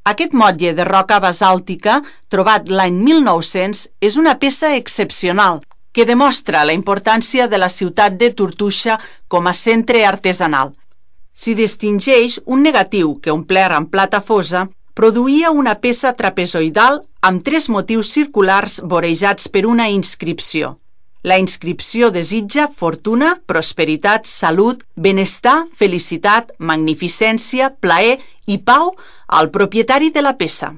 Aquest motlle de roca basàltica, trobat l'any 1900, és una peça excepcional que demostra la importància de la ciutat de Tortosa com a centre artesanal. S'hi distingeix un negatiu que, omplert amb plata fosa, produïa una peça trapezoidal amb 3 motius circulars vorejats per una inscripció. La inscripció desitja fortuna, prosperitat, salut, benestar, felicitat, magnificència, plaer i pau al propietari de la peça.